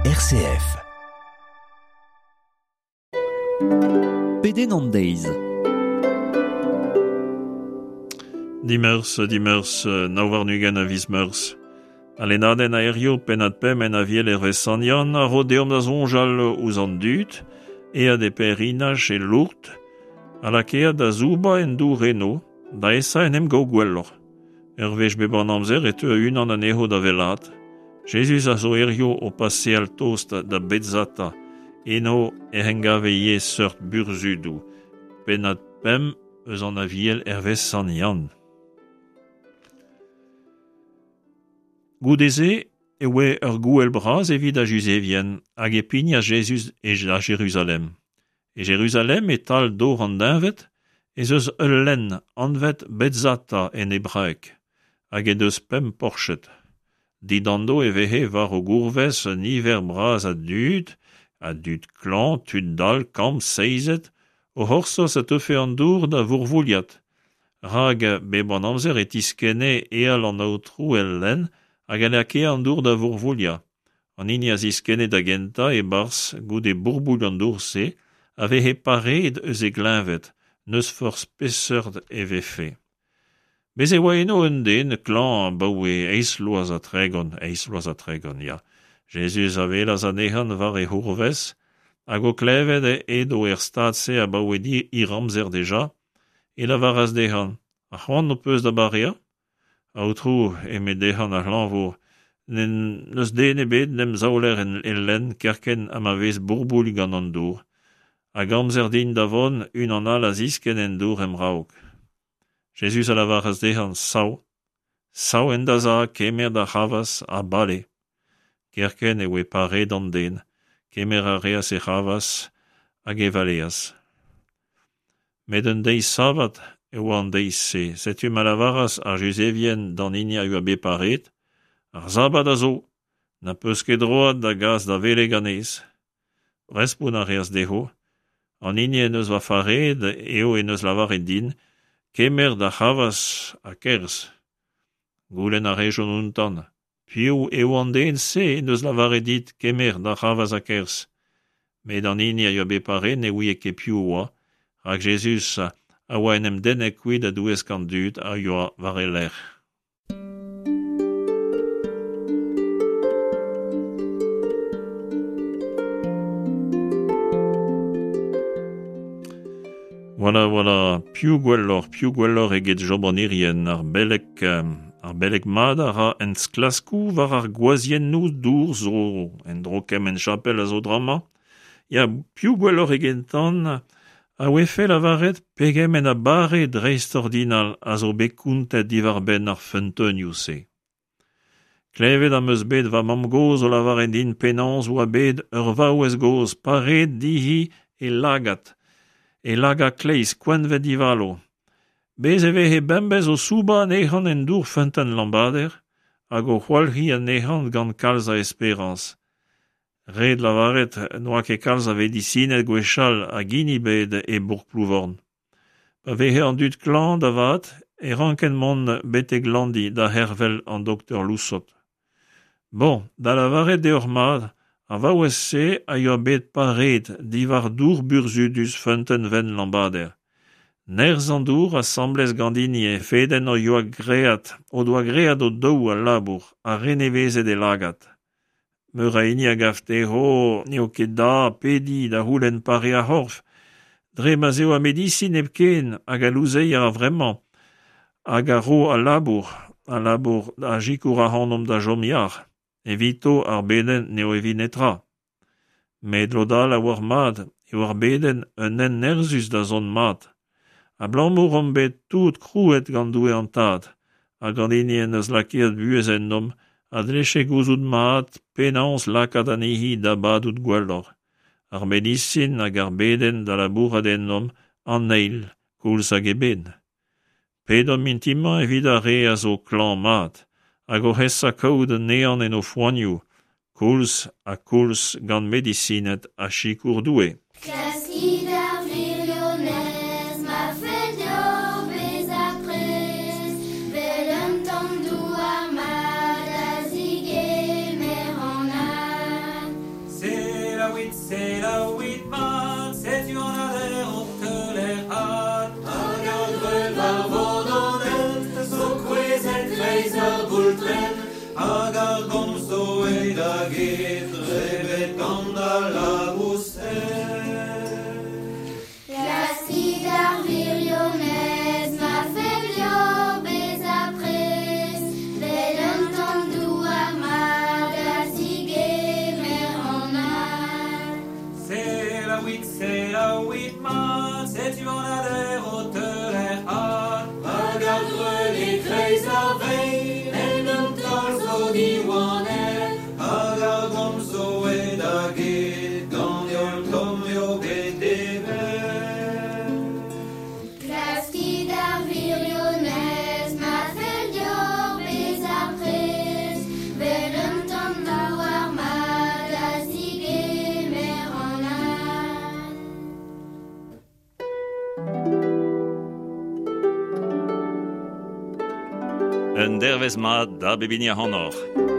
RCF. Pedenn an deiz. Dimeurzh, dimeurzh, 29 a viz Meurzh. Al lennadenn a hirio pennad pemp en Aviel hervez Sant Yann a ro deomp da soñjal ouzh an dud aet e pèlerinaj e Lourdes ha lakaet da soubañ en dour eno da esa en em gaout gwelloc'h. Ur wech bep an amzer e teu unan anezho da wellaat. Jezuz a zo hirio o paseal tost da Betzata. Eno ec'h engave ivez seurt burzhudoù. Pennad pemp eus an Aviel hervez Sant Yann. Goude-se e oe ur gouel bras evit ar Juzevien hag e pignas Jezuz da Jeruzalem. E Jeruzalem, e-tal dor an deñved, ez eus ul lenn anvet Betzata en hebraeg, hag he deus pemp porched. Dindano e veze war o gourvez un niver bras a dud, a dud klañv, tud dall, kamm, seizet, o c'hortoz a teufe an dour da vourvouilhat, rak bep an amzer e tiskenne eal an Aotrou el lenn hag a lakae an dour da vourvouilhañ. An hini a ziskenne da gentañ e-barzh goude bourbouilh an dour-se a veze pareet eus e gleñved, n'eus forzh peseurt e vefe. Bez' e oa eno un den klañv abaoe eizh vloaz ha tregont, eizh vloaz ha tregont, ya. Jezuz a welas anezhañ war e c'hourvez, hag o klevet edo er stad-se abaoe hir amzer dija, e lavaras dezhañ, Ha c'hoant ho peus da bareañ? Aotrou, eme dezhañ ar c'hlañvour, n'eus den ebet n'em zaoler el lenn kerkent ha ma vez bourbouilh gant an dour. Hag amzer din da vont, unan all a ziskenn en dour em raok. Jezuz a lavaras dezhañ, Sav, sav en da za, kemer da c'hravazh ha bale. Kerkent e voe pareet an den, kemer a reas e c'hravazh hag e valeas. Met un deiz sabad e oa an deiz-se, setu ma lavaras ar Juzevien d'an hini a yoa bet pareet, Ar sabad a zo, na peus ket droad da gas da wele ganez. Respont a reas dezho, An hini en deus va fareet eo en deus lavaret din, Kemer da c'hravazh ha kerzh. Goulenn a rejont outañ, Piv eo an den-se en deus lavaret dit kemer da c'hravazh ha kerzh? Met an hini a yoa bet pareet ne ouie ket piv oa, rak Jezuz a oa en em dennet kuit a-douesk an dud a yoa war e lerc'h. Voilà, voilà, piv gwelloc'h, piv gwelloc'h eget Job an Irien, ar beleg, ar beleg mat a ra enklaskoù war ar gwazhiennoù dour zo en-dro kement chapel a zo drama. Ya, piv gwelloc'h egetan a ouefe lavaret pegement a bare dreistordinal a zo bet kontet diwar-benn ar feunteunioù-se. Klevet am eus bet va mamm-gozh o lavaret din penaos oa bet ur vaouez gozh pareet dezhi he lagad, he lagad kleiz koeñvet divalo. Bez' e veze bemdez o soubañ anezhañ en dour feunteun Lambader hag o c'hwalc'hiñ anezhañ gant kalz a esperañs. Ret lavaret n'oa ket kalz a vedisined gwechall hag hini ebet e bourk Plouvorn. Pa veze an dud klañv da vat e rankent mont betek Landi da c'hervel an doktor Loussot. Bon, da lavaret deoc'h mat, ar vaouez-se a yoa bet pareet diwar dour burzhudus feunteun wenn Lambader. Nerzh an dour asambles gant hini he fedenn o yoa graet o doa graet o-daou al labour ha renevezet e lagad. Meur a hini a gav dezho n'eo ket da pediñ da c'houlenn pare ar c'horf, dre ma'z eo ar medisin hepken hag al louzeier a-vremañ hag a ro al labour, al labour a sikour ac'hanomp da chom yac'h. Evito ar bedenn n'eo evit netra. Met lod all a oar mat eo ar bedenn un hent nerzhus da zont mat. Abalamour omp bet tout krouet gant Doue an Tad, hag an hini en deus lakaet buhez ennomp a dlefe gouzout mat penaos lakaat anezhi da badout gwelloc'h. Ar medisin hag ar bedenn da labourat ennomp an eil koulz hag eben. Pedomp mintin-mañ evit ar re a zo klañv-mat hag oc'h esa kaout un ehan en o foanioù, koulz ha koulz gant medisined ha sikour Doue. Klaskit ar wirionez ma fell deoc'h bezañ prest 'vel un tamm douar mat da zigemer an ad. get, drebet gant al laboused. Klaskit ar wirionez, ma fell deoc'h bezañ prest, 'vel un tamm douar mat da zigemer an had. Selaouit, selaouit mat, setu an hader o teuler had. Hag ar greun e-kreiz ar vein, en un taol zo diwanet. Hag ar gomz zo aet da get, gant heol tomm eo bet devet. Klaskit ar wirionez, ma fell deoc'h bezañ prest, 'vel un tamm douar mat da zigemer an had. Un dervezh mat da bep hini ac'hanoc'h.